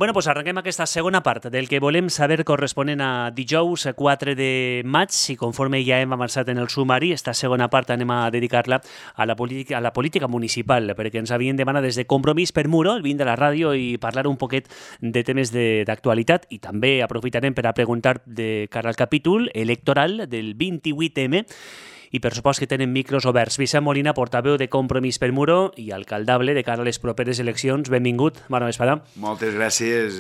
Bueno, doncs arrenquem aquesta segona part del que volem saber corresponent a dijous 4 de maig i conforme ja hem avançat en el sumari, aquesta segona part anem a dedicar-la a la política municipal, perquè ens havien demanat des de Compromís per Muro, el 20 de la ràdio, i parlar un poquet de temes d'actualitat i també aprofitarem per a preguntar de cara al capítol electoral del 28M i per supost que tenen micros oberts. Vicent Molina, portaveu de Compromís per Muro i alcaldable de cara a les properes eleccions. Benvingut, bona vesprada. Moltes gràcies.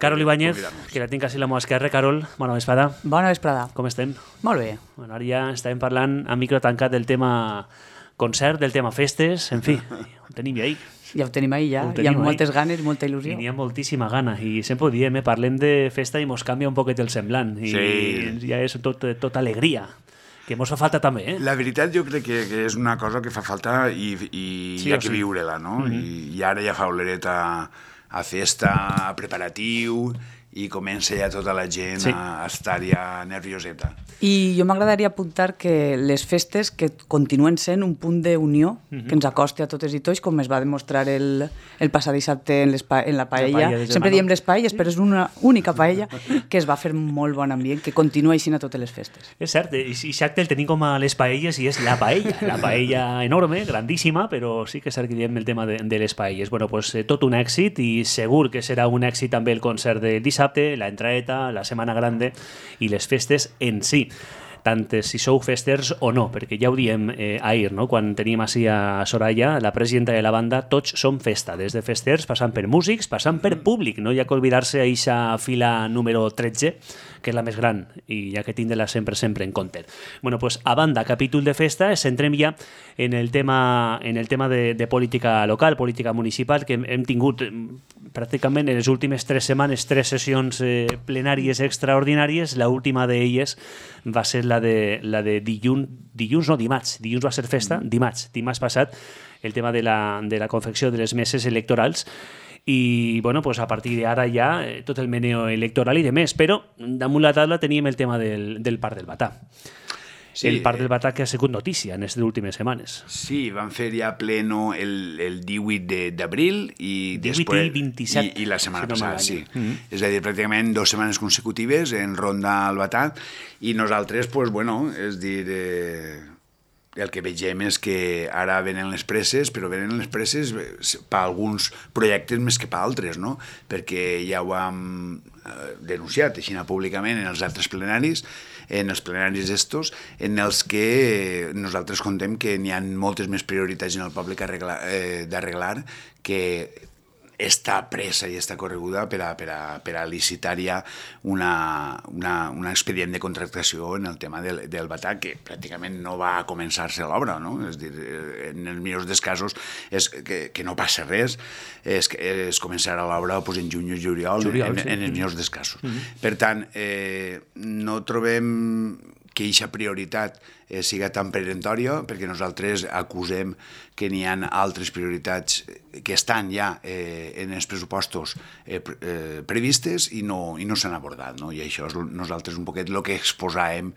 Carol Ibáñez, que la tinc quasi a la meva esquerra. Carol, bona vesprada. Bona vesprada. Com estem? Molt bé. Bueno, ara ja estàvem parlant a micro tancat del tema concert, del tema festes, en fi, ho tenim ahí. Ja ho tenim ahí, ja. Hi ha moltes ganes, molta il·lusió. I n'hi ha moltíssima gana. I sempre ho diem, parlem de festa i mos canvia un poquet el semblant. I sí. Ja és tot alegria. Que mos fa falta també, La veritat jo crec que és una cosa que fa falta i sí, hi ha que viure-la, no? I ara ja fa oleret a festa, a preparatiu, i comença ja tota la gent a estar ja nervioseta. I jo m'agradaria apuntar que les festes que continuen sent un punt d'unió que ens acosti a totes i tots, com es va demostrar el passat dissabte en la paella. Sempre diem les paelles, però és una única paella que es va fer molt bon ambient, que continua així a totes les festes. És cert, i exacte, el tenim com a les paelles i és la paella enorme, grandíssima, però sí que és cert que diem el tema de les paelles. Bueno, pues tot un èxit i segur que serà un èxit també el concert de dissabte, la entraeta, la Setmana Grande i les festes en si, tant si sou festers o no, perquè ja ho diem ahir, no? Quan teníem així a Soraya, la presidenta de la banda, tots som festa, des de festers, passant per músics, passant per públic, no hi ha que oblidar-se a eixa fila número 13, que és la més gran, i ja que tindre-la sempre en compte. Bueno, pues a banda, capítol de festa, centrem ja en el tema de política local, política municipal, que hem tingut pràcticament en les últimes 3 setmanes 3 sessions plenàries extraordinàries. L'última d'elles va ser la de dimarts va ser festa, dimarts passat, el tema de la confecció de les meses electorals. I bueno, pues a partir d'ara ja tot el meneo electoral i de més, però damunt la taula teníem el tema del Parc del Batà. Sí, el Parc del Batà que ha sigut notícia en aquestes últimes setmanes. Sí, van fer ja pleno el 18 d'abril i 18 després, i 27. I la setmana passada, sí. És a dir, pràcticament 2 setmanes consecutives en ronda al Batà i nosaltres, pues, bueno, és dir... el que vegem és que ara venen les presses, però venen les presses per alguns projectes més que per altres, no? Perquè ja ho hem denunciat així públicament en els altres plenaris, en els plenaris estos, en els que nosaltres contem que n'hi ha moltes més prioritats en el poble d'arreglar que està pressa i està correguda per a licitar ja un expedient de contractació en el tema del Batà, que pràcticament no va començar-se l'obra, no? És dir, en els millors dels casos és que no passa res, es començarà l'obra pues, en juny o juliol, en els millors dels casos. Per tant, no trobem que aquesta prioritat siga tan peremptòria, perquè nosaltres acusem que n'hi ha altres prioritats que estan ja en els pressupostos previstes i no s'han abordat, no? I això és nosaltres un poquet el que exposàvem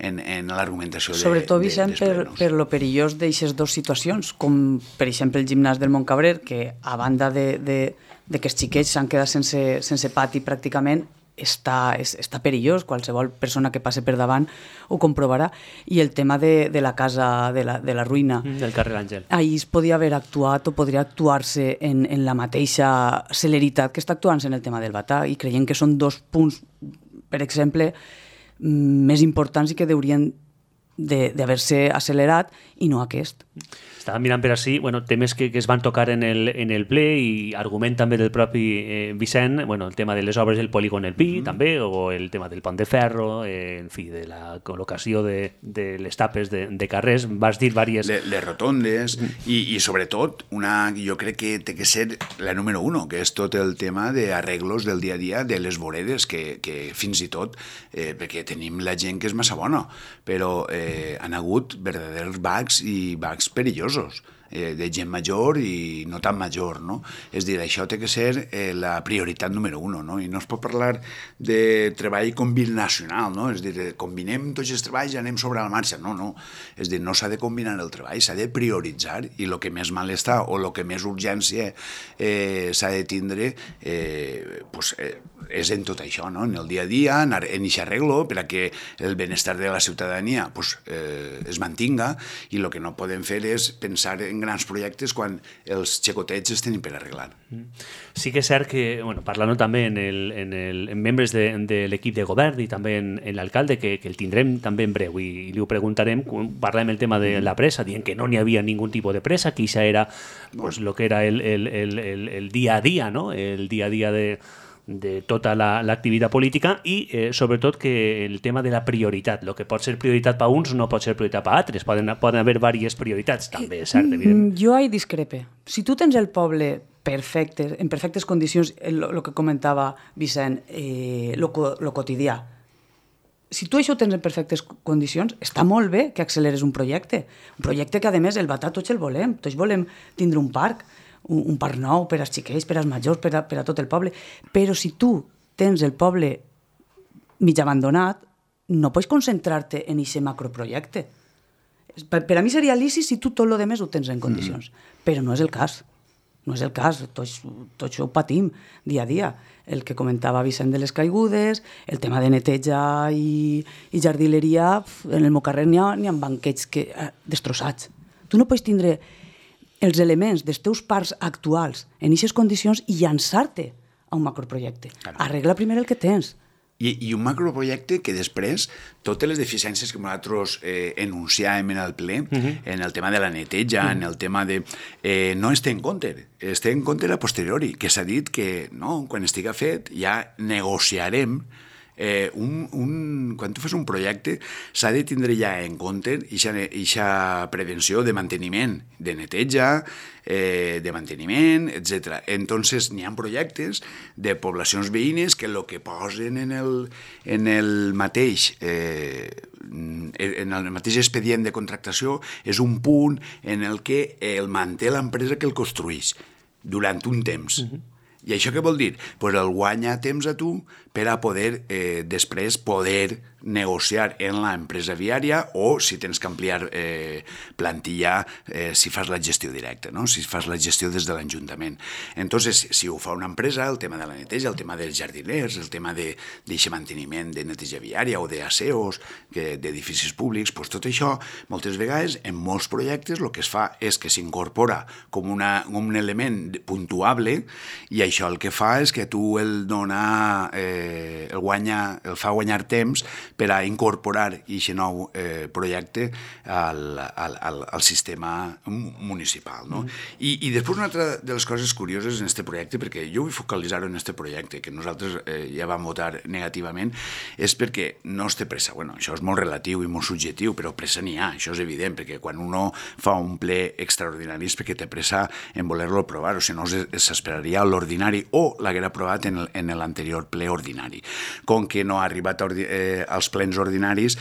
en l'argumentació dels plenos. Sobretot, Vicent, per lo perillós d'aixes dues situacions, com per exemple el gimnàs del Montcabrer, que a banda de que els xiquets s'han quedat sense pati pràcticament, està perillós, qualsevol persona que passe per davant ho comprovarà, i el tema de la casa de la ruïna del carrer Àngel, ahir es podia haver actuat o podria actuar-se en la mateixa celeritat que està actuant-se en el tema del Batà, i creiem que són 2 punts, per exemple, més importants i que haurien d'haver-se accelerat i no aquest. Estàvem mirant per així, bueno, temes que es van tocar en el ple i argument també del propi Vicent, bueno, el tema de les obres del polígon El Pi, també, o el tema del pont de ferro, en fi, de la col·locació de les tapes de carrers, vas dir diverses... Les rotondes i sobretot, jo crec que té que ser la número 1, que és tot el tema d'arreglos del dia a dia de les voreres, que fins i tot, perquè tenim la gent que és massa bona, però han hagut verdaders bacs i bacs perillosos. de gent major i no tan major, no? És dir, això té que ser la prioritat número 1, no? I no es pot parlar de treball combinacional, no? És dir, combinem tots els treballs i anem sobre la marxa. No, no. És dir, no s'ha de combinar el treball, s'ha de prioritzar i el que més mal està o el que més urgència s'ha de tindre és en tot això, no? En el dia a dia, en aquest arreglo per a que el benestar de la ciutadania es mantinga i el que no podem fer és pensar en grans projectes quan els xicotets es tenen per arreglar. Sí que és cert que, bueno, parlant també en membres de l'equip de govern i també en l'alcalde, que el tindrem també en breu i li ho preguntarem, parlem el tema de la pressa, dient que no n'hi havia ningú tipus de pressa, que això era pues, lo que era el dia a dia, no? El dia a dia de tota l'activitat política i sobretot que el tema de la prioritat, el que pot ser prioritat per uns no pot ser prioritat per altres, poden haver diverses prioritats també, és cert, evidentment. Jo hi discrepe. Si tu tens el poble perfecte, en perfectes condicions, el que comentava Vicent, lo quotidià, si tu això ho tens en perfectes condicions, està molt bé que acceleres un projecte que a més el Batà tots el volem, tots volem tindre un parc nou per als xiquets, per als majors, per a tot el poble. Però si tu tens el poble mig abandonat, no pots concentrar-te en aquest macroprojecte. Per a mi seria lícit si tu tot el demés ho tens en condicions. Però no és el cas. No és el cas. Tots ho patim dia a dia. El que comentava Vicent de les caigudes, el tema de neteja i jardineria, en el meu carrer n'hi ha banquets destrossats. Tu no pots tindre els elements dels teus parcs actuals en aquestes condicions i llançar-te a un macroprojecte. Arregla primer el que tens. I un macroprojecte que després, totes les deficiències que nosaltres enunciàvem en el ple, en el tema de la neteja, en el tema de... no es té en compte, es té en compte a posteriori, que s'ha dit que no, quan estiga fet ja negociarem quan tu fas un projecte s'ha de tindre ja en compte aquesta prevenció de manteniment, de neteja, de manteniment, etc. Entonces n'hi ha projectes de poblacions veïnes que el que posen en el mateix expedient de contractació és un punt en el que el manté l'empresa que el construeix durant un temps. I això què vol dir? Pues el guanya temps a tu per a poder després poder negociar en l'empresa viària o si tens que ampliar plantilla si fas la gestió directa, no? Si fas la gestió des de l'Ajuntament. Entonces, si ho fa una empresa, el tema de la neteja, el tema dels jardiners, el tema d'aquest manteniment de neteja viària o d'aseos d'edificis públics, pues tot això, moltes vegades, en molts projectes, el que es fa és que s'incorpora com un element puntuable i això el que fa és que tu el dona, el fa guanyar temps per a incorporar aquest nou projecte al sistema municipal. No? I després una altra de les coses curioses en aquest projecte, perquè jo vull focalitzar-ho en aquest projecte, que nosaltres ja vam votar negativament, és perquè no es té pressa. Bueno, això és molt relatiu i molt subjectiu, però pressa n'hi ha, això és evident, perquè quan uno fa un ple extraordinari és perquè té pressa en voler-lo aprovar, o si no s'esperaria a l'ordinari o l'haguera aprovat en l'anterior ple ordinari. Com que no ha arribat als plens ordinaris,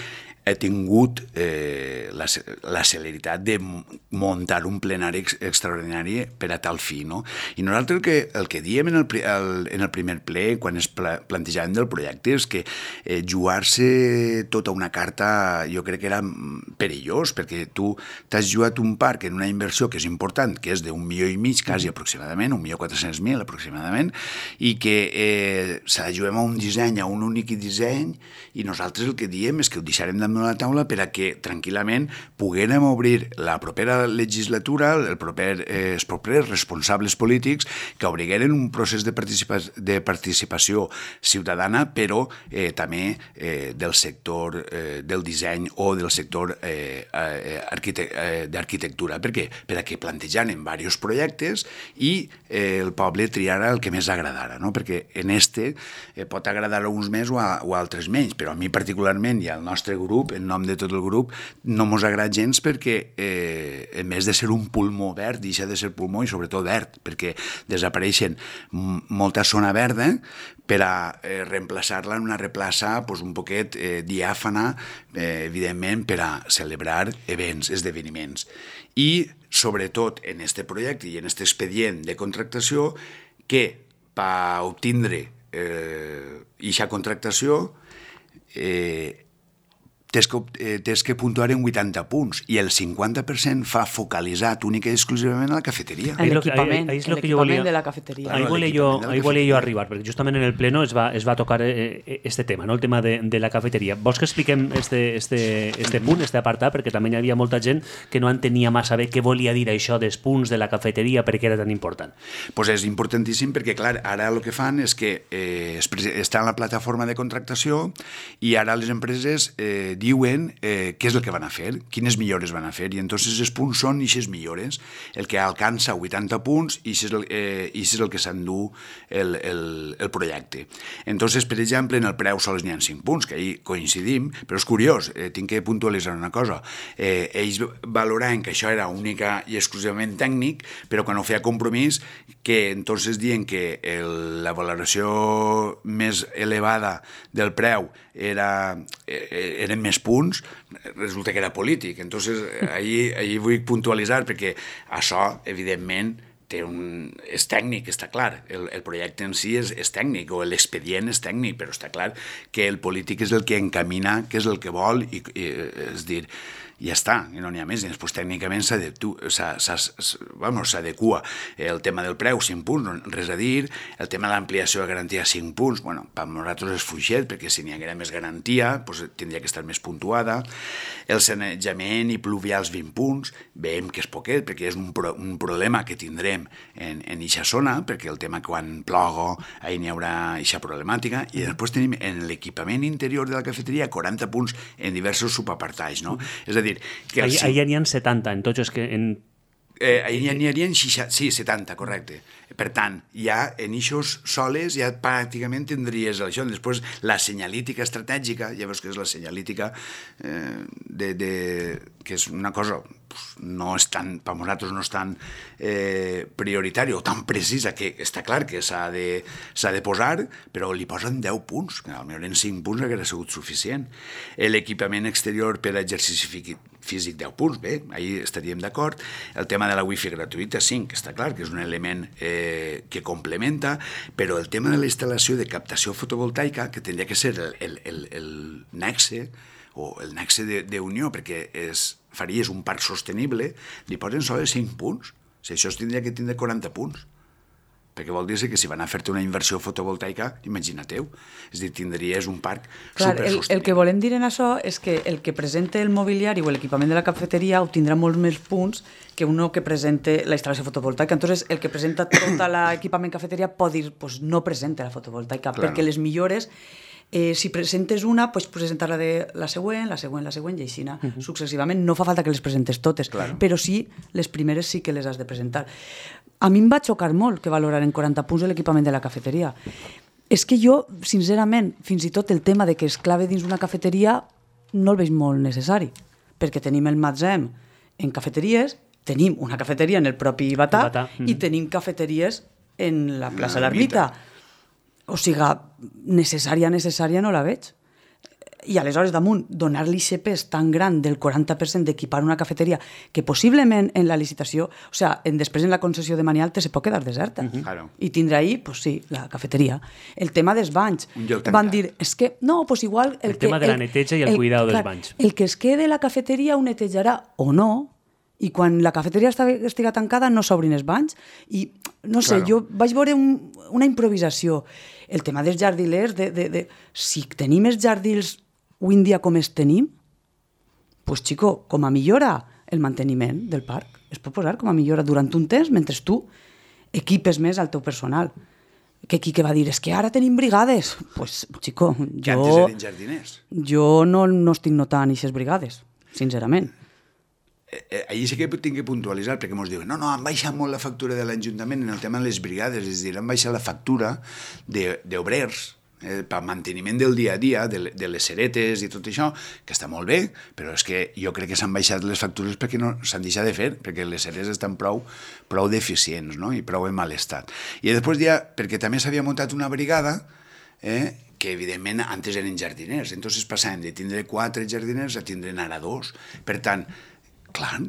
he tingut la celeritat de muntar un plenari extraordinari per a tal fi, no? I nosaltres el que diem en el primer ple, quan es plantejàvem del projecte, és que jugar-se tota una carta jo crec que era perillós, perquè tu t'has jugat un parc en una inversió que és important, que és d'1,5 milió, quasi aproximadament, 1.400.000 aproximadament, i que se la juguem a un disseny, a un únic disseny, i nosaltres el que diem és que ho deixarem damunt la taula per a que tranquil·lament poguérem obrir la propera legislatura, els propers responsables polítics que obrigueren un procés de participació ciutadana, però també del sector del disseny o del sector d'arquitectura. Per què? Per a que plantejaren diversos projectes i el poble triara el que més agradara, no? Perquè en pot agradar a uns més o a altres menys, però a mi particularment i al nostre grup grup, en nom de tot el grup, no mos agrada gens perquè, a més de ser un pulmó verd, deixa de ser pulmó i sobretot verd, perquè desapareixen molta zona verda per a reemplaçar-la en una replaça un poquet diàfana, evidentment, per a celebrar events, esdeveniments. I, sobretot, en aquest projecte i en aquest expedient de contractació, que per obtindre aquesta contractació tens que puntuar en 80 punts i el 50% fa focalitzat única i exclusivament a la cafeteria. En l'equipament de la cafeteria. Ahí volia jo arribar, perquè justament en el pleno es va tocar este tema, no? El tema de la cafeteria. Vols que expliquem este punt, este apartat, perquè també hi havia molta gent que no entenia massa bé què volia dir això dels punts de la cafeteria, per què era tan important? Pues és importantíssim perquè, clar, ara el que fan és que està en la plataforma de contractació i ara les empreses diuen què és el que van a fer, quines millores van a fer, i entonces els punts són eixes millores, el que alcança 80 punts i és el que s'endú el projecte. Entonces, per exemple, en el preu sols n'hi ha 5 punts, que ahí coincidim, però és curiós, tinc que puntualitzar una cosa, ells valoraven que això era única i exclusivament tècnic, però quan ho feia compromís, que entonces diuen que la valoració més elevada del preu eren més punts, resulta que era polític. Entonces, ahí vull puntualitzar, perquè això, evidentment, és tècnic, està clar. El projecte en si és tècnic, o l'expedient és tècnic, però està clar que el polític és el que encamina, que és el que vol, i és dir, ja està, i no n'hi ha més. I després tècnicament s'adequa el tema del preu, 5 punts, res a dir, el tema de l'ampliació de garantia, 5 punts, bueno, per nosaltres és fluixet, perquè si n'hi haguera més garantia, doncs tindria que estar més puntuada. El sanejament i pluvials, 20 punts, veiem que és poquet, perquè és un problema que tindrem en eixa zona, perquè el tema quan plogo, ahí n'hi haurà eixa problemàtica, i després tenim en l'equipament interior de la cafeteria 40 punts en diversos subapartats, no? És a dir, que ahí n'hi ha 70, en tots els que... Ahí n'hi havia 60, sí, 70, correcte. Per tant, ja en eixos soles ja pràcticament tindries això. Després, la senyalítica estratègica, ja veus que és la senyalítica que és una cosa no és tan, per nosaltres no és tan prioritària o tan precisa, que està clar que s'ha de posar, però li posen 10 punts, que potser en 5 punts hauria sigut suficient. L'equipament exterior per a exercici físic, 10 punts, bé, ahir estaríem d'acord. El tema de la wifi gratuïta, 5, està clar que és un element que complementa, però el tema de la instal·lació de captació fotovoltaica, que tindria que ser el nexe, o el nexe d'unió, perquè faries un parc sostenible, li posen sols 5 punts. Si això es tindria que tindre 40 punts. Perquè vol dir que si van a fer-te una inversió fotovoltaica, imagina-teu, és a dir, tindries un parc supersostenible. El que volem dir en això és que el que presenta el mobiliari o l'equipament de la cafeteria obtindrà molts més punts que uno que presente la instal·lació fotovoltaica. Entonces, el que presenta tot l'equipament cafeteria pot dir, pues no presenta la fotovoltaica, perquè les millores... si presentes una, pues presentar-la de la següent, i així successivament. No fa falta que les presentes totes, però sí, les primeres sí que les has de presentar. A mi em va xocar molt que valoraren 40 punts de l'equipament de la cafeteria. És que jo, sincerament, fins i tot el tema de que es clave dins una cafeteria no el veig molt necessari, perquè tenim el magatzem en cafeteries, tenim una cafeteria en el propi Batà i tenim cafeteries en la plaça l'Ermita. O sigui, necessària no la veig. I aleshores, damunt, donar-li aquest pes tan gran del 40% d'equipar una cafeteria que possiblement en la licitació, o sigui, després en la concessió de Manialta se pot quedar deserta. I tindrà ahí, pues sí, la cafeteria. El tema dels banys. Van dir, és que, no, pues igual... El tema de la neteja i el cuidado dels banys. El que es quede la cafeteria ho netejarà o no, i quan la cafeteria estiga tancada no s'obrin els banys, i no sé, jo vaig veure una improvisació. El tema dels jardilers, si tenim els jardins avui en dia com els tenim, doncs, xico, com a millora el manteniment del parc, es pot posar com a millora durant un temps mentre tu equipes més al teu personal. Que qui que va dir, és que ara tenim brigades. Doncs, xico, que antes eren jardiners. Jo no estic notant aquestes brigades, sincerament. Allí sí que tinc que puntualitzar, perquè ens diuen, no, han baixat molt la factura de l'Ajuntament en el tema de les brigades, és a dir, han baixat la factura d'obrers, per manteniment del dia a dia, de les seretes i tot això, que està molt bé, però és que jo crec que s'han baixat les factures perquè no s'han deixat de fer, perquè les seretes estan prou deficients, no? I prou en mal estat. I després ja, perquè també s'havia muntat una brigada, que evidentment antes eren jardiners, entonces passàvem de tindre 4 jardiners a tindre ara 2. Per tant, clar,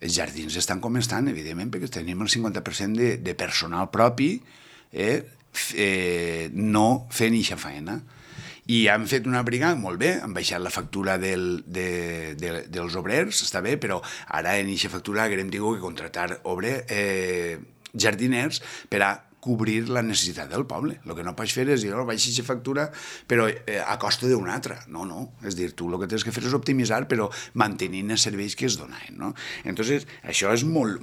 els jardins estan com estan, evidentment, perquè tenim el 50% de personal propi, no fent eixa feina. I han fet una brigada, molt bé, han baixat la factura dels obrers, està bé, però ara en eixa factura haguem tingut que contratar jardiners per a cobrir la necessitat del poble. El que no pots fer és dir, baixa aquesta factura, però a costa d'una altra. No. És dir, tu el que tens que fer és optimitzar, però mantenint els serveis que es donaven, no? Entonces, això és molt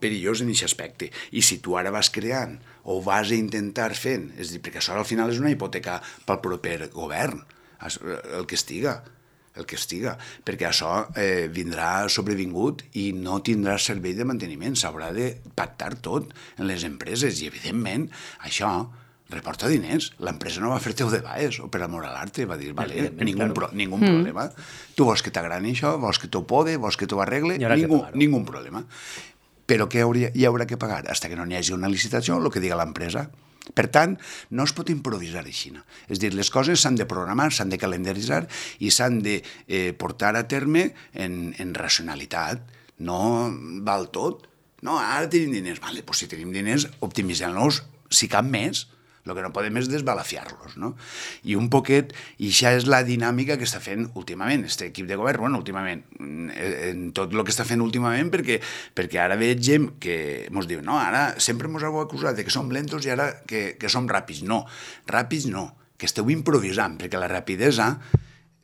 perillós en aquest aspecte. I si tu ara vas creant o vas a intentar fent, és dir, perquè això al final és una hipoteca pel proper govern, el que estiga, perquè això vindrà sobrevingut i no tindrà servei de manteniment, s'haurà de pactar tot en les empreses i evidentment això reporta diners, l'empresa no va fer-te de baix o per amor a l'arte, va dir, vale, ningú problema, tu vols que t'agrani això, vols que t'ho pode, vols que t'ho arregle, ningú problema, però què hi haurà que pagar? Fins que no n'hi hagi una licitació, el que diga l'empresa. Per tant, no es pot improvisar així. És dir, les coses s'han de programar, s'han de calendaritzar i s'han de portar a terme en racionalitat. No val tot. No, ara tenim diners. Vale, doncs si tenim diners, optimitzem-los, si cap més. El que no podem és desbalafiar-los, no? I un poquet, i això és la dinàmica que està fent últimament, aquest equip de govern, bueno, últimament, en tot el que està fent últimament, perquè ara veig gent que ens diu, no, ara sempre ens heu acusat de que som lentos i ara que som ràpids. No, ràpids no, que esteu improvisant, perquè la rapidesa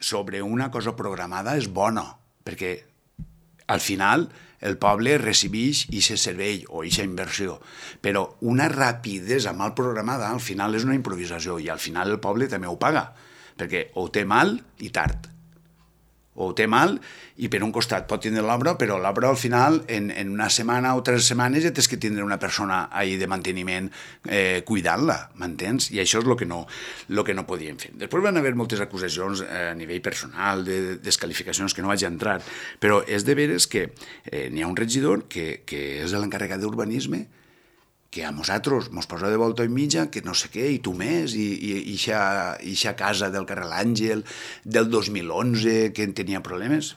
sobre una cosa programada és bona, perquè al final el poble recibeix aquest servei o aquesta inversió, però una rapidesa mal programada al final és una improvisació i al final el poble també ho paga, perquè o té mal i tard, o té mal i per un costat pot tindre l'obra, però l'obra al final en una setmana o 3 setmanes ja tens que tindre una persona ahí de manteniment cuidant-la, m'entens? I això és el que no podíem fer. Després van haver moltes acusacions a nivell personal, de desqualificacions que no vaig entrar, però és de veres que n'hi ha un regidor que és l'encarregat d'urbanisme que a nosaltres ens posa de volta i mitja, que no sé què, i tu més, i eixa casa del carrer l'Àngel del 2011 que tenia problemes.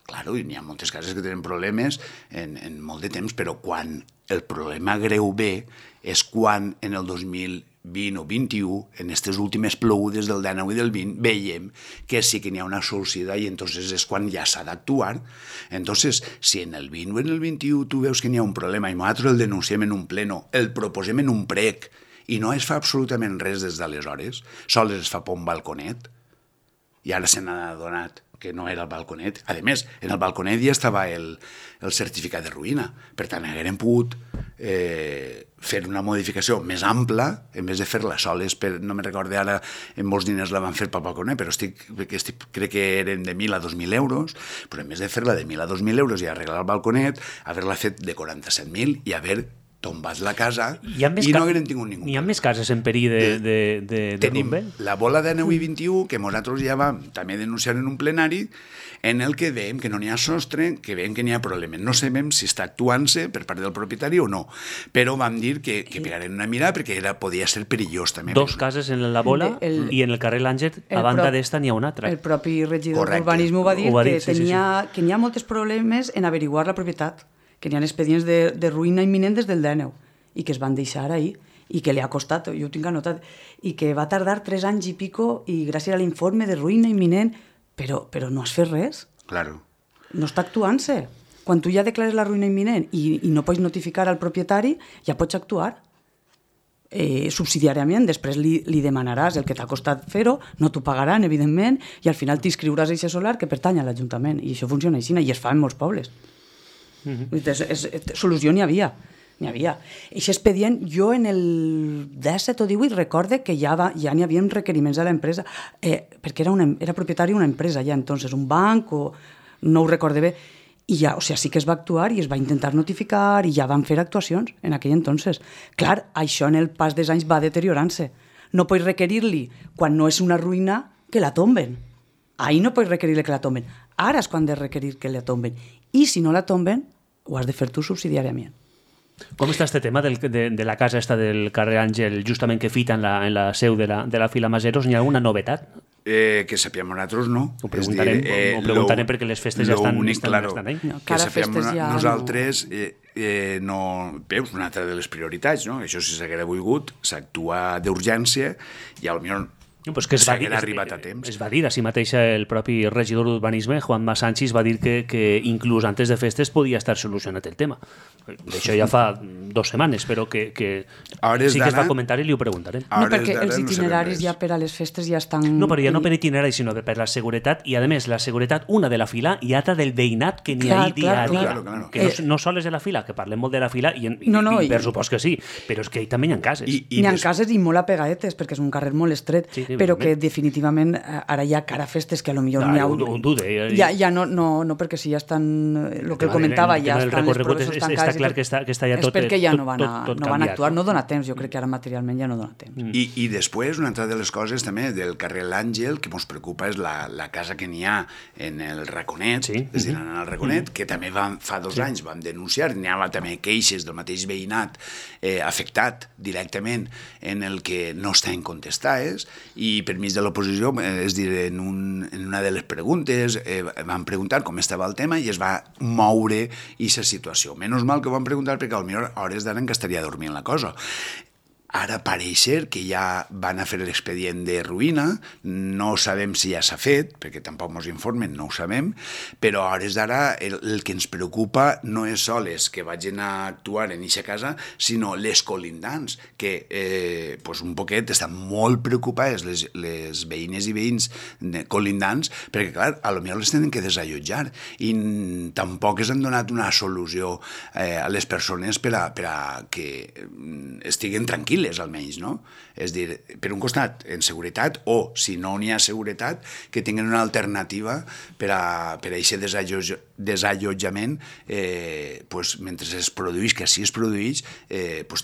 Claro, i n'hi ha moltes cases que tenen problemes en molt de temps, però quan el problema greu ve és quan en el 2020 o 21, en aquestes últimes plogudes del 19 i del 20, veiem que sí que n'hi ha una solució i entonces és quan ja s'ha d'actuar. Entonces, si en el 20 o en el 21 tu veus que n'hi ha un problema i nosaltres el denunciem en un pleno, el proposem en un prec i no es fa absolutament res des d'aleshores, sols es fa per un balconet i ara se n'ha adonat que no era el balconet. A més, en el balconet ja estava el certificat de ruïna. Per tant, haguem pogut fer una modificació més ampla, en vez de fer-la soles, no me recordo ara, en molts diners la van fer pel balconet, però crec que eren de 1.000 a 2.000 euros, però en vez de fer-la de 1.000 a 2.000 euros i arreglar el balconet, haver-la fet de 47.000 i haver tombats la casa i no haguem tingut ningú. Hi ha més cases en perill de tenim rumbe? La bola de 9 i 21, que nosaltres ja vam també denunciar en un plenari, en el que veiem que no n'hi ha sostre, que veiem que n'hi ha problemes. No sabem si està actuant-se per part del propietari o no, però vam dir que pegarem una mirada perquè podia ser perillós també. 2 cases en la bola i en el carrer l'Àngel, a banda d'esta n'hi ha una altra. El propi regidor d'urbanisme va dir que n'hi ha molts problemes en averiguar la propietat, que n'hi ha expedients de ruïna imminent des del 19 i que es van deixar ahir i que li ha costat, jo ho tinc anotat, i que va tardar 3 anys i pico i gràcies a l'informe de ruïna imminent, però no has fet res. Claro. No està actuant-se. Quan tu ja declares la ruïna imminent i no pots notificar al propietari, ja pots actuar. Subsidiàriament, després li demanaràs el que t'ha costat fer-ho, no t'ho pagaran, evidentment, i al final t'inscriuràs a aquest solar que pertany a l'Ajuntament. I això funciona així, i es fa en molts pobles. Solució n'hi havia. Aquest expedient, jo en el 17 o 18 recorde que ja n'hi havia requeriments a l'empresa, perquè era propietari d'una empresa ja entonces, un banc, o no ho recorde bé, i ja, o sigui, sí que es va actuar i es va intentar notificar i ja van fer actuacions en aquell entonces. Clar, això en el pas dels anys va deteriorant-se. no pots requerir-li, quan no és una ruïna, que la tomben. Ahí no pots requerir-li que la tomben. Ara és quan de requerir que la tomben. I si no la tomben, ho has de fer tu subsidiàriament. Com està este tema de la casa esta del carrer Àngel, justament que fita en la seu de la Fila Maseros? N'hi ha alguna novetat? Que sapiem nosaltres, no. Ho preguntarem perquè les festes ja estan ahí. Que sapiem nosaltres, no... Veus, una altra de les prioritats, no? Això si s'haguera volgut, s'actua d'urgència i potser pues que s'haguera arribat a temps. Es va dir, així mateix el propi regidor d'Urbanisme, Juanma Sánchez, va dir que inclús antes de festes podia estar solucionat el tema. D'això ja fa 2 setmanes, però que sí que es va comentar i li ho preguntarem. No, perquè els itineraris ja per a les festes ja estan... No, però ja no per itineraris, sinó per la seguretat, i a més, la seguretat, una de la fila i altra del veïnat que n'hi ha dia a dia. Que no sols és de la fila, que parlem molt de la fila, i per supost que sí, però és que també hi ha cases. N'hi ha cases i molt apegadetes, perquè és un carrer molt estret, però que definitivament ara ja cara a festes que potser n'hi ha... Ho dude. Ja no, perquè si ja estan... El que comentava, ja estan les proves tancades. Està clar que està ja tot... És perquè ja no van actuar, no dona temps, jo crec que ara materialment ja no dona temps. I després, una altra de les coses també del carrer L'Àngel, que ens preocupa és la casa que n'hi ha en el Raconet, és a dir, en el Raconet, que també fa 2 anys vam denunciar, n'hi havia també queixes del mateix veïnat afectat directament en el que no estaven contestades, i per mig de l'oposició, és a dir, en una de les preguntes van preguntar com estava el tema i es va moure aquesta situació. Menys mal que ho van preguntar perquè potser a hores d'ara que estaria dormint la cosa. Ara pareix ser que ja van a fer l'expedient de ruïna, no sabem si ja s'ha fet, perquè tampoc ens informen, no ho sabem, però a hores d'ara el que ens preocupa no és sols que vagin a actuar en aquesta casa, sinó les colindants, que un poquet estan molt preocupades les veïnes i veïns colindants, perquè clar, potser les tenen que desallotjar, i tampoc es han donat una solució a les persones per a que estiguen tranquil·les, almenys, no? És dir, per un costat, en seguretat, o, si no n'hi ha seguretat, que tinguin una alternativa per a aquest desallotjament, mentre es produeix, que així es produeix,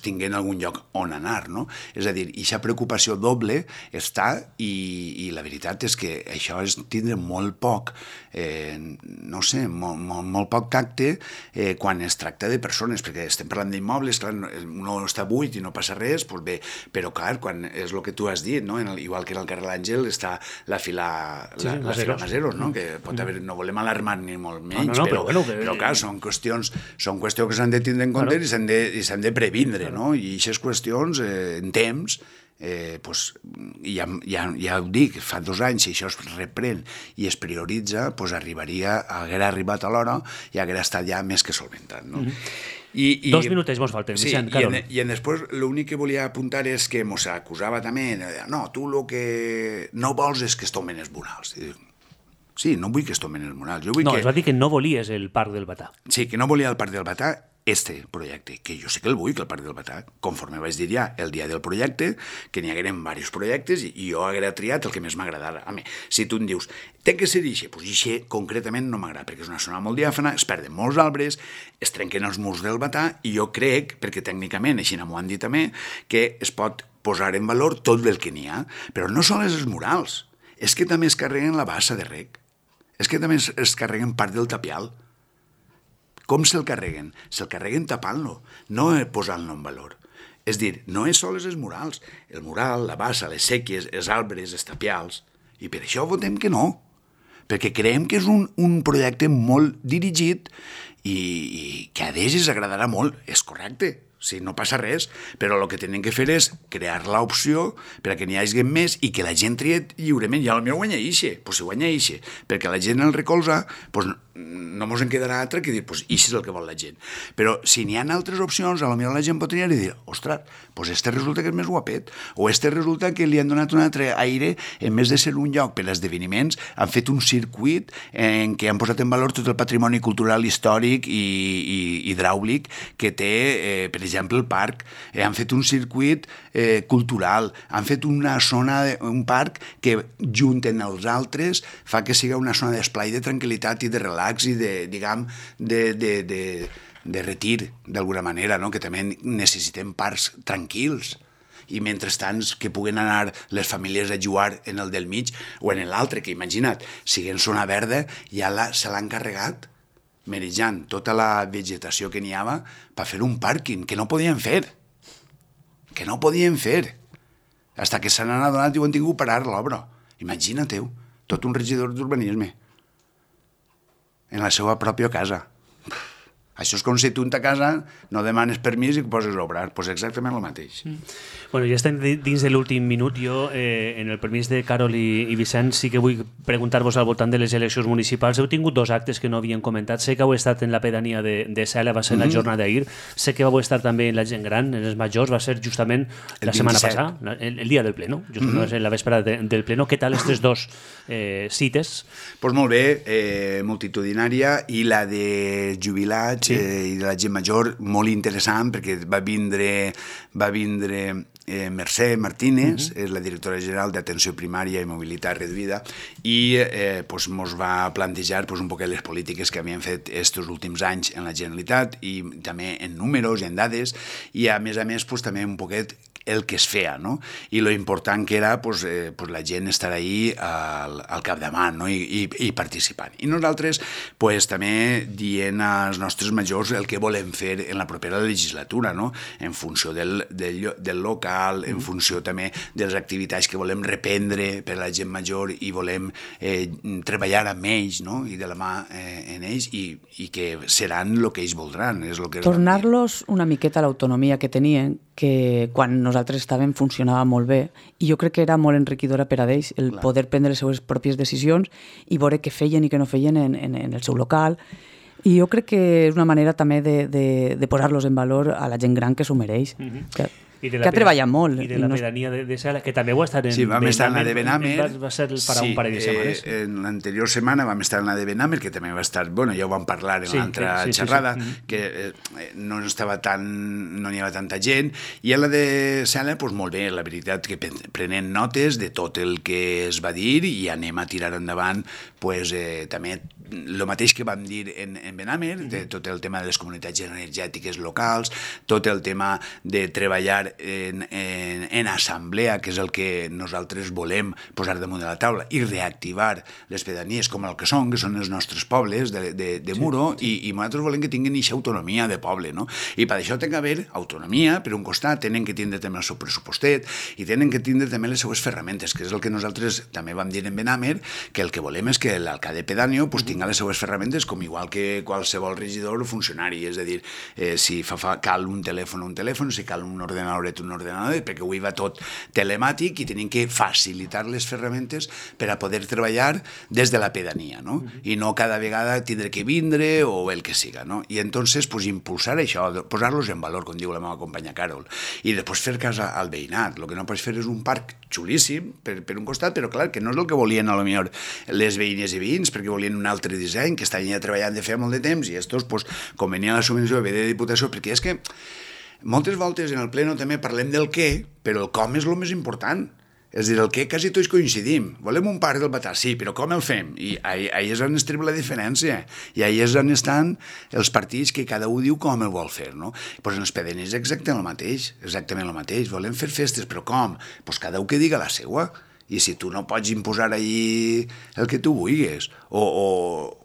tinguin algun lloc on anar, no? És a dir, aquesta preocupació doble està, i la veritat és que això és tindre molt poc, no sé, molt poc tacte quan es tracta de persones, perquè estem parlant d'immobles, clar, no està buit i no passa res, doncs bé, però clar, quan és el que tu has dit, no? Igual que en el carrer L'Àngel està la fila Maseros, no? Que pot haver, no volem alarmar ni molt menys, però clar, són qüestions que s'han de tindre en compte i s'han de previndre, no? I aquestes qüestions, en temps, ja ho dic, fa 2 anys, si això es reprèn i es prioritza, haguera arribat a l'hora i haguera estat ja més que solventat, no? 2 minutets mos falten, Vicent, Carol. I després l'únic que volia apuntar és que mos acusava també, no, tu el que no vols és que es tomen els murals. Sí, no vull que es tomen els murals. Es va dir que no volies el Parc del Batà. Sí, que no volia el Parc del Batà, projecte, que jo sé que el vull, que el Parc del Batà, conforme vaig dir ja el dia del projecte, que n'hi hagueren diversos projectes i jo haguera triat el que més m'agradara. A mi, si tu em dius, té que ser ixe, doncs ixe concretament no m'agrada, perquè és una zona molt diàfana, es perden molts arbres, es trenquen els murs del Batà, i jo crec, perquè tècnicament, així m'ho han dit també, que es pot posar en valor tot el que n'hi ha, però no sols els murals, és que també es carreguen la bassa de rec, és que també es carreguen part del tapial. Com se'l carreguen? Se'l carreguen tapant-lo, no posant-lo en valor. És dir, no és sols els murals. El mural, la bassa, les sèquies, els arbres, els tapials. I per això votem que no. Perquè creiem que és un projecte molt dirigit i que a d'ells agradarà molt. És correcte. Sí, no passa res, però el que tenen que fer és crear l'opció per a que n'hi hagi més i que la gent trie lliurement. I potser guanya ixe, doncs si guanya ixe, perquè la gent el recolza, doncs no ens en quedarà altre que dir, doncs ixe és el que vol la gent. Però si n'hi ha altres opcions, potser la gent pot triar i dir, ostres, doncs este resulta que és més guapet, o este resulta que li han donat un altre aire, en més de ser un lloc per a esdeveniments, han fet un circuit en què han posat en valor tot el patrimoni cultural, històric i hidràulic que té, per exemple, el parc. Han fet un circuit cultural, han fet una zona, un parc que junten els altres fa que sigui una zona d'esplai, de tranquil·litat i de relax i de, diguem, de retir, d'alguna manera, no? Que també necessitem parcs tranquils. i mentrestant que puguen anar les famílies a jugar en el del mig o en l'altre, que imagina't, siguent zona verda, ja se l'han carregat merejant tota la vegetació que n'hi havia per fer un pàrquing, que no podien fer. Que no podien fer. Hasta que se n'han adonat i ho han tingut per parar l'obra. Imagina-t'ho, tot un regidor d'urbanisme en la seva pròpia casa. Això és com si tu en ta casa no demanes permís i poses a obrar. Doncs exactament el mateix. Bueno, ja estem dins de l'últim minut. Jo, en el permís de Carol i Vicent, sí que vull preguntar-vos al voltant de les eleccions municipals. Heu tingut 2 actes que no havien comentat. Sé que heu estat en la pedania de Cela, va ser la jornada d'ahir. Sé que vau estar també en la gent gran, en els majors, va ser justament la setmana passada, el dia del pleno, justament va ser la vespre del pleno. Què tal aquestes 2 cites? Doncs molt bé, multitudinària, i la de jubilats i de la gent major, molt interessant, perquè va vindre Mercè Martínez, és la directora general d'Atenció Primària i Mobilitat Reduïda, i ens va plantejar un poc les polítiques que havien fet aquests últims anys en la Generalitat, i també en números i en dades, i a més també un poquet el que es feia, no? I lo important que era la gent estar ahí al capdavant, no? I participant. I nosaltres també dient als nostres majors el que volem fer en la propera legislatura, no? En funció del local, en funció també de les activitats que volem reprendre per a la gent major i volem treballar amb ells, no? I de la mà en ells, i que seran el que ells voldran. Tornar-los una miqueta a l'autonomia que tenien, que quan nosaltres estàvem funcionava molt bé, i jo crec que era molt enriquidora per a ells el poder prendre les seves pròpies decisions i veure què feien i què no feien en el seu local. I jo crec que és una manera també de posar-los en valor a la gent gran que s'ho mereix. Que ha treballat molt. I de la pedania de Cela, que també ho ha estat en... Sí, vam estar en la de Benamer. Va ser per un parell de setmanes. En l'anterior setmana vam estar en la de Benamer, que també va estar... Bueno, ja ho vam parlar en l'altra xerrada, que no n'hi havia tanta gent, i en la de Cela, doncs molt bé, la veritat que prenent notes de tot el que es va dir i anem a tirar endavant també el mateix que vam dir en Benamer, de tot el tema de les comunitats energètiques locals, tot el tema de treballar en assemblea, que és el que nosaltres volem posar damunt de la taula, i reactivar les pedanies com el que són els nostres pobles de Muro, i nosaltres volem que tinguin aquesta autonomia de poble, no? I per això té que haver autonomia, per un costat, tenen que tindre també el seu pressupostet, i tenen que tindre també les seues ferramentes, que és el que nosaltres també vam dir en Benamer, que el que volem és que l'alcalde pedàneo tingui les seues ferramentes com igual que qualsevol regidor o funcionari, és a dir, si cal un telèfon, si cal un ordenador, perquè avui va tot telemàtic i tenim que facilitar les ferramentes per a poder treballar des de la pedania, no? I no cada vegada tindre que vindre o el que siga, no? I entonces impulsar això, posar-los en valor, com diu la meva companya Carol, i després fer cas al veïnat. El que no pots fer és un parc xulíssim per un costat, però clar, que no és el que volien a lo millor les veïnes i veïns, perquè volien un altre disseny, que estaven ja treballant de feia molt de temps, i estos, com venia la subvenció ve de Diputació, perquè és que moltes voltes en el pleno també parlem del què, però el com és el més important. És a dir, el què quasi tots coincidim. Volem un parc del Batà, sí, però com el fem? I ahí és on es triba la diferència. I ahí és on estan els partits que cada un diu com el vol fer, no? Doncs en els pedanies és exactament el mateix. Volem fer festes, però com? Doncs cada un que diga la seua. I si tu no pots imposar ahí el que tu vulguis, o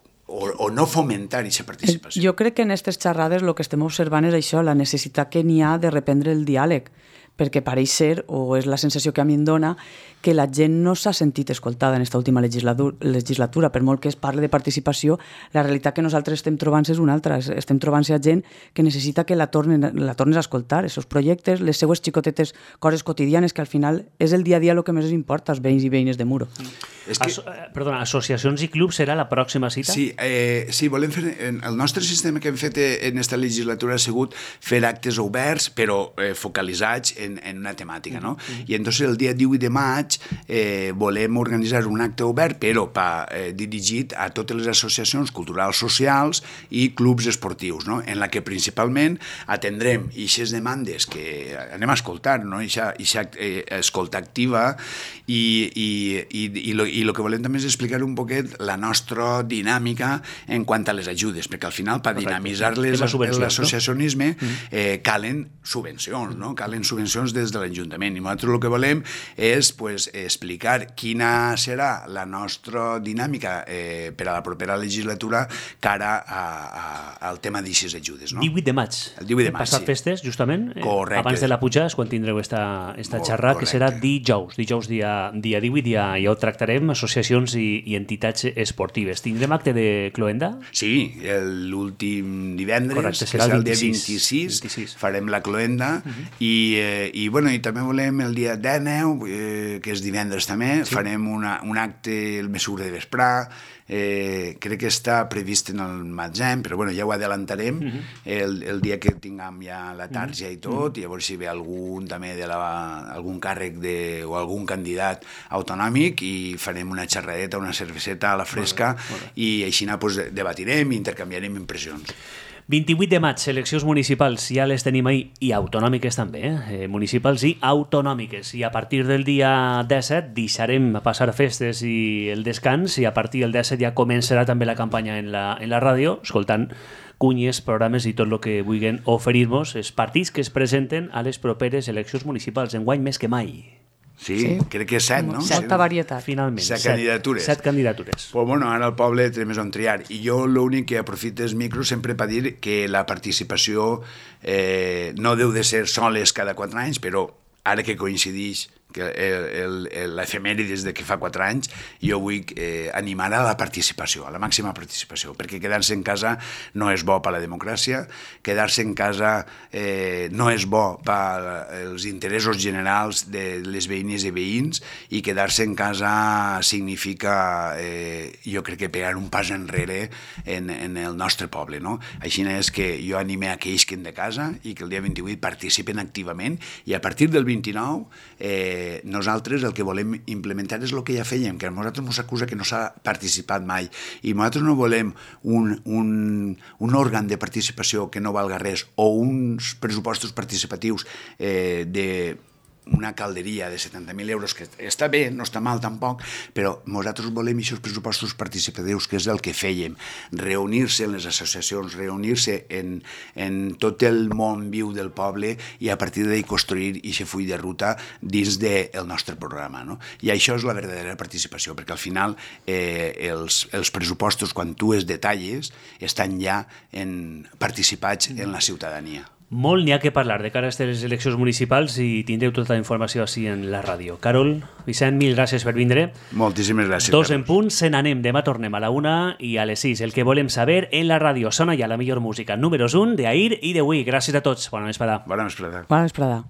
no fomentar aquesta participació. Jo crec que en aquestes xerrades el que estem observant és això, la necessitat que n'hi ha de reprendre el diàleg, perquè pareix ser, o és la sensació que a mi em dona, que la gent no s'ha sentit escoltada en aquesta última legislatura. Per molt que es parli de participació, la realitat que nosaltres estem trobant és una altra. Estem trobant-se a gent que necessita que la tornes a escoltar, els seus projectes, les seues xicotetes coses quotidianes, que al final és el dia a dia el que més els importa als veïns i veïnes de Muro. Perdona, associacions i clubs serà la pròxima cita? Sí, volem fer... El nostre sistema que hem fet en aquesta legislatura ha sigut fer actes oberts, però focalitzats en una temàtica, no? I entonces el dia 18 de maig volem organitzar un acte obert, però dirigit a totes les associacions culturals socials i clubs esportius, no? En la que principalment atendrem aquestes demandes que anem a escoltar, no? Aquesta escolta activa i I el que volem també és explicar un poquet la nostra dinàmica en quant a les ajudes, perquè al final per dinamitzar l'associacionisme calen subvencions, no? Calen subvencions des de l'Ajuntament, i nosaltres el que volem és explicar quina serà la nostra dinàmica per a la propera legislatura cara al tema d'aixes ajudes. 18 de maig. El 18 de maig, passat festes, justament. Correcte. Abans de la pujada és quan tindreu esta xerrada, que serà dijous dia 18, ja ho tractarem, associacions i entitats esportives. Tindrem acte de cloenda? Sí, l'últim divendres, correcte, que serà el dia 26, farem la cloenda, i també volem el dia 19, que és divendres també, farem un acte el més segur de vesprà. Crec que està previst en el maig, però ja ho adelantarem el dia que tinguem ja la tarja i tot, i llavors si ve algun també algun càrrec o algun candidat autonòmic, i farem una xerradeta, una cerveseta a la fresca, i així debatirem i intercanviarem impressions. 28 de maig, eleccions municipals, ja les tenim ahir, i autonòmiques també, municipals i autonòmiques. I a partir del dia 17 deixarem passar festes i el descans, i a partir del 17 ja començarà també la campanya en la ràdio, escoltant cunyes, programes i tot el que vulguin oferir-nos els partits que es presenten a les properes eleccions municipals, enguany més que mai. Sí, crec que 7, no? Molta varietat. Finalment. 7 candidatures. 7 candidatures. Pues ara el poble té més on triar. I jo l'únic que aprofito és micro sempre per dir que la participació no deu de ser soles cada 4 anys, però ara que coincideix l'efemèrides de que fa 4 anys, jo vull animar a la participació, a la màxima participació, perquè quedar-se en casa no és bo per a la democràcia, quedar-se en casa no és bo per als interessos generals de les veïnes i veïns, i quedar-se en casa significa, jo crec que pegar un pas enrere en el nostre poble, no? Així és que jo anime a que isquen de casa i que el dia 28 participen activament, i a partir del 29 nosaltres el que volem implementar és el que ja fèiem, que a nosaltres ens acusa que no s'ha participat mai, i nosaltres no volem un òrgan de participació que no valga res, o uns pressupostos participatius de una calderia de 70.000 euros, que està bé, no està mal tampoc, però nosaltres volem aquests pressupostos participatius, que és el que fèiem, reunir-se en les associacions, reunir-se en tot el món viu del poble, i a partir d'ahir construir aquest full de ruta dins del nostre programa, no? I això és la verdadera participació, perquè al final els pressupostos, quan tu es detalles, estan ja participats en la ciutadania. Molt n'hi ha que parlar de cara a les eleccions municipals, i tindreu tota la informació així en la ràdio. Carol, Vicent, mil gràcies per vindre. Moltíssimes gràcies. 2 en punt, se n'anem. Demà tornem a la 1 i a les 6. El que volem saber en la ràdio. Sona ja la millor música. Números 1 d'ahir i d'avui. Gràcies a tots. Bona vesprada. Bona vesprada. Bona vesprada.